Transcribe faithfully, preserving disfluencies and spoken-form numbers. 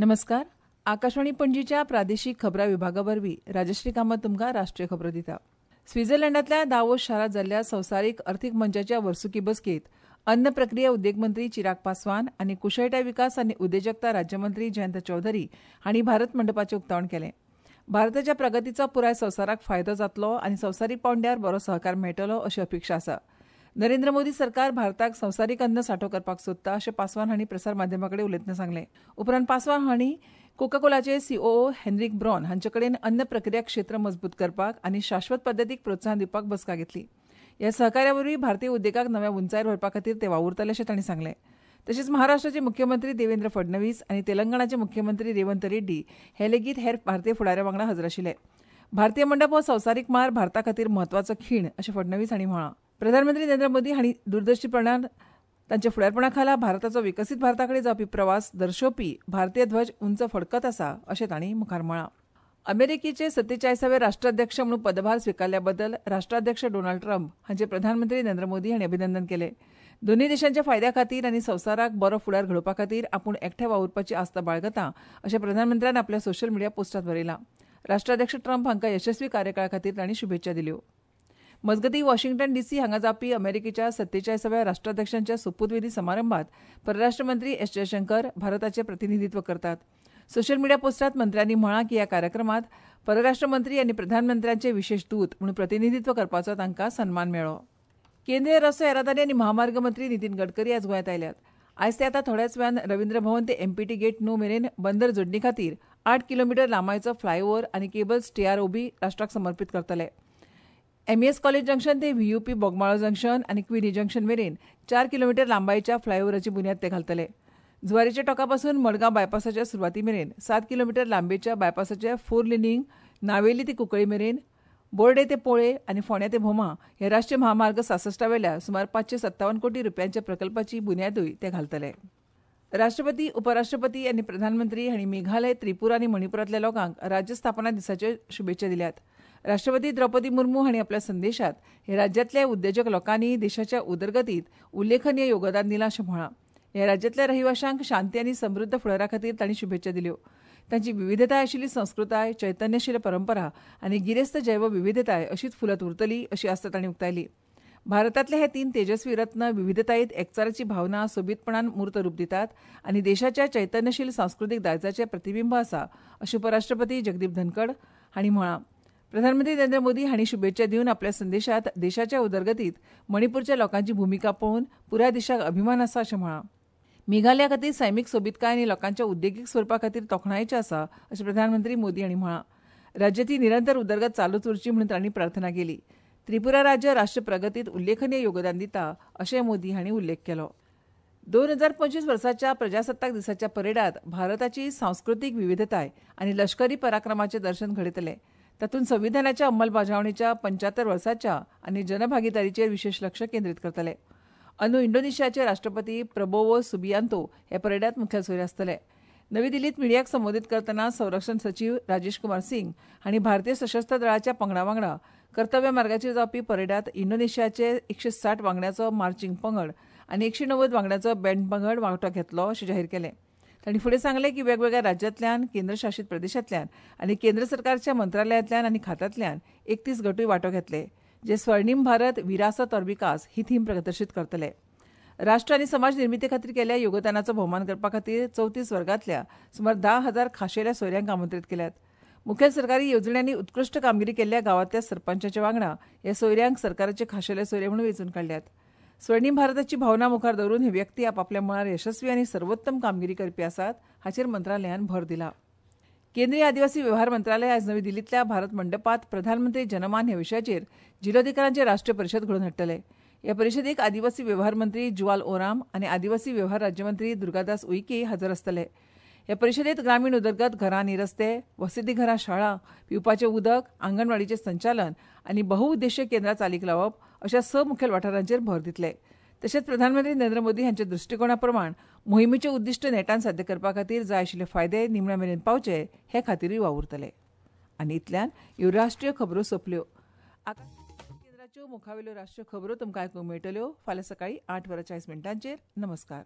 नमस्कार, आकाशवाणी पणजीच्या प्रादेशीक खबरां विभागा वरवीं राजश्री कामत तुमकां राष्ट्रीय खबरो दिता. स्वित्झर्लंडांतल्या दावोस शारांत जाल्ल्या संवसारीक अर्थीक मंचाच्या वर्सुकी बसकेंत अन्न प्रक्रिया उद्देग मंत्री चिराग पासवान आनी कुशळटाय विकास आनी उद्देजकता राज्यमंत्री जयंत चौधरी हांणी भारत मंडपाचें उक्तावण केलें. भारताच्या प्रगतीचो पुराय संवसाराक फायदो जातलो आनी संवसारीक पांवड्यार बरो सहकार मेळटलो अशी अपेक्षा आसा. नरेंद्र मोदी सरकार भारताक संवसारीक अन्न सांठो करपाक सोदता अशें पासवान हांणी प्रसार माध्यमां कडेन उलयतना सांगलें. उपरांत पासवान हांणी कोकाकोलाचे सीओओ हेनरीक ब्रॉन हांचे कडेन अन्न प्रक्रिया क्षेत्र मजबूत करपाक आनी शाश्वत पद्दतीक प्रोत्साहन दिवपाक बसका घेतली. ह्या सहकार्या वरवीं भारतीय उद्देगाक नव्या उंचायेर व्हरपा खातीर ते वावुरतले अशें तांणी सांगलें. तशेंच महाराष्ट्राचे मुख्यमंत्री देवेंद्र फडणवीस आनी तेलंगणाचे मुख्यमंत्री रेवंत रेड्डी हे लेगीत हेर भारतीय फुडाऱ्यां वांगडा हजर आशिल्ले. भारतीय मंडप हो संवसारीक मळार भारता खातीर म्हत्वाचो खीण अशें फडणवीस हांणी म्हळां. प्रधानमंत्री नरेंद्र मोदी हांणी दूरदर्शीपणान तांच्या फुडारपणा खाला भारताचो विकसीत भारता कडेन जावपी प्रवास दर्शोवपी भारतीय ध्वज उंच फडकत आसा अशें तांणी मुखार म्हळां. अमेरिकेचे सत्तेचाळीसावे राष्ट्राध्यक्ष म्हणून पदभार स्विकारल्या बद्दल राष्ट्राध्यक्ष डोनाल्ड ट्रम्प हांचे प्रधानमंत्री नरेंद्र मोदी हांणी अभिनंदन केलें. दोनूय देशांच्या फायद्या खातीर आनी संवसाराक बरो फुडार घडोवपा खातीर आपूण एकठांय वावुरपाची आस्था बाळगता अशें प्रधानमंत्र्यान आपल्या सोशल मिडिया पोस्टांत बरयलां. राष्ट्राध्यक्ष ट्रम्प हांकां यशस्वी कार्यकाळा खातीर तांणी शुभेच्छा दिल्यो. मजगतीं, वॉशिंग्टन डीसी हांगा जावपी अमेरिकेच्या सत्तेचाळीसाव्या राष्ट्राध्यक्षांच्या सोपूतविधी समारंभात परराष्ट्र मंत्री एस जयशंकर भारताचें प्रतिनिधित्व करतात. सोशल मिडिया पोस्टांत मंत्र्यांनी म्हळां की ह्या कार्यक्रमात परराष्ट्र मंत्री आनी प्रधानमंत्र्यांचे विशेष दूत म्हणून प्रतिनिधित्व करपाचो तांकां सन्मान मेळ्ळो. केंद्रीय रस्तो येरादारी आनी महामार्ग मंत्री नितीन गडकरी आज गोंयांत आयल्यात. आयज ते आतां थोड्याच वेळान रवींद्र भवन ते एमपीटी गेट णव मेरेन बंदर जोडणी खातीर आठ किलोमिटर लांबायेचो फ्लायओव्हर आनी केबल टीआरओबी राष्ट्राक समर्पीत करतले. एमईएस कॉलेज जंक्शन ते व्हीयूपी बोगमाळो जंक्शन आनी क्विनी जंक्शन मेरेन चार किलोमिटर लांबायेच्या फ्लायओव्हराची बुन्याद ते घालतले. जुवारीच्या टोका पासून मडगांव बायपासाच्या सुरवाती मेरेन सात किलोमिटर लांबेच्या बायपासाचे फोर लेनिंग नावेली ते कुंकळी मेरेन, बोर्डे ते पोळे आनी फोंड्या ते भोमा हे राष्ट्रीय महामार्ग सासश्टावेल्या सुमार पांचशे सत्तावन्न कोटी रुपयांच्या प्रकल्पाची बुन्यादूय ते घालतले. राष्ट्रपती, उपराष्ट्रपती आनी प्रधानमंत्री हांणी मेघालय, त्रिपुरा आनी मणिपुरांतल्या लोकांक राज्य स्थापना दिसाच्यो शुभेच्छा दिल्यात. राष्ट्रपती द्रौपदी मुर्मू हांणी आपल्या संदेशात हे राज्यांतल्या उद्देजक लोकांनी देशाच्या उदरगतीत उल्लेखनीय योगदान दिलां अशें म्हळां. ह्या राज्यांतल्या रहिवाशांक शांती आनी समृद्ध फुडारा खातीर तांणी शुभेच्छा दिल्यो. तांची विविधताय आशिल्ली संस्कृताय, चैतन्यशील परंपरा आनी गिरेस्त जैवविविधताय अशीच फुलत उरतली अशी आस्त तांणी उक्तायली. भारतांतले हे तीन तेजस्वी रत्न विविधतायेत एकचाराची भावना सोबीतपणान मूर्त रूप दितात आनी देशाच्या चैतन्यशील सांस्कृतीक दायजाचें प्रतिबिंब आसा अशें उपराष्ट्रपती जगदीप धनखड हांणी म्हळां. प्रधानमंत्री नरेंद्र मोदी हांणी शुभेच्छा दिवन आपल्या संदेशात देशाच्या उदरगतीत मणिपूरच्या लोकांची भुमिका पळोवन पुराय देशाक अभिमान आसा अशें म्हळां. मेघालया खातीर सैमीक सोबीतकाय आनी लोकांच्या उद्देगीक स्वरुपा खातीर तोखणायेचें आसा अशें प्रधानमंत्री मोदी हांणी म्हळां. राज्यांतली निरंतर उदरगत चालूच उरची म्हणून तांणी प्रार्थना केली. त्रिपुरा राज्य राष्ट्र प्रगतीत उल्लेखनीय योगदान दिता अशें मोदी हांणी उल्लेख केलो. दोन हजार पंचवीस वर्साच्या प्रजासत्ताक दिसाच्या परेडात भारताची सांस्कृतीक विविधताय आनी लष्करी पराक्रमाचें दर्शन घडयतले. तातूंत संविधानाच्या अंमलबजावणीच्या पंच्यात्तर वर्साच्या आनी जनभागीदारीचेर विशेष लक्ष केंद्रीत करतले. अंदू इंडोनेशियाचे राष्ट्रपती प्रबोवो सुबियांतो हे परेडात मुखेल सोयरे आसतले. नवी दिल्लीत मिडियाक संबोधीत करतना संरक्षण सचीव राजेश कुमार सिंग हांणी भारतीय सशस्त्र दळाच्या पंगडा वांगडा कर्तव्य मार्गाचेर जावपी परेडात इंडोनेशियाचे एकशे साठ वांगड्याचो मार्चिंग पंगड आनी एकशे णव्वद वांगड्याचो बँड पंगड वांटो घेतलो अशें जाहीर केलें. तांणी फुडें सांगलें की वेगवेगळ्या राज्यांतल्यान, केंद्रशासीत प्रदेशांतल्यान आनी केंद्र सरकारच्या मंत्रालयांतल्यान आनी खात्यांतल्यान एकतीस गटूय वांटो घेतले जे स्वर्णीम भारत विरासत और विकास ही थीम प्रदर्शीत करतले. राष्ट्र आनी समाज निर्मिती खातीर केल्ल्या योगदानाचो भोवमान करपा खातीर चवतीस वर्गांतल्या सुमार धा हजार खाशेल्या सोयऱ्यांक आमंत्रीत केल्यात. मुखेल सरकारी येवजण्यांनी उत्कृश्ट कामगिरी केल्ल्या गांवांतल्या सरपंचाच्या वांगडा ह्या सोयऱ्यांक सरकाराचे खाशेले सोयरे म्हणून वेंचून काडल्यात. स्वर्णीम भारताची भावना मुखार दवरून हे व्यक्ती आपापल्या मळार यशस्वी आनी सर्वोत्तम कामगिरी करपी आसात हाचेर मंत्रालयान भर दिला. केंद्रीय आदिवासी व्यवहार मंत्रालय आज नवी दिल्लींतल्या भारत मंडपात प्रधानमंत्री जनमान ह्या विशयाचेर जिल्लोधिकाऱ्यांची राष्ट्रीय परिशद घडोवन हाडटले. ह्या परिशदेक आदिवासी व्यवहार मंत्री जुवाल ओराम आनी आदिवासी व्यवहार राज्यमंत्री दुर्गादास उईके हजर आसतले. ह्या परिशदेत ग्रामीण उदरगत, घरां आनी रस्ते, वसतीघरां, शाळा, पिवपाचें उदक, आंगणवाडीचें संचालन आनी बहुउद्देशीय केंद्रां चालीक लावप अशा स मुखेल वाठारांचेर भर दितले. तशेंच प्रधानमंत्री नरेंद्र मोदी हांच्या दृश्टिकोणा प्रमाण मोहिमेचें उद्दिश्ट नेटान साध्य करपा खातीर जाय आशिल्ले फायदे निमण्या मेरेन पावचे हे खातीरूय वावुरतले. आनी इतल्यान ह्यो राष्ट्रीय खबरो सोंपल्यो. आकाशवाणी केंद्राच्यो मुखावेल्यो राष्ट्रीय खबरो तुमकां आयकूंक मेळटल्यो फाल्यां सकाळीं आठ वरां चाळीस मिनटांचेर. नमस्कार.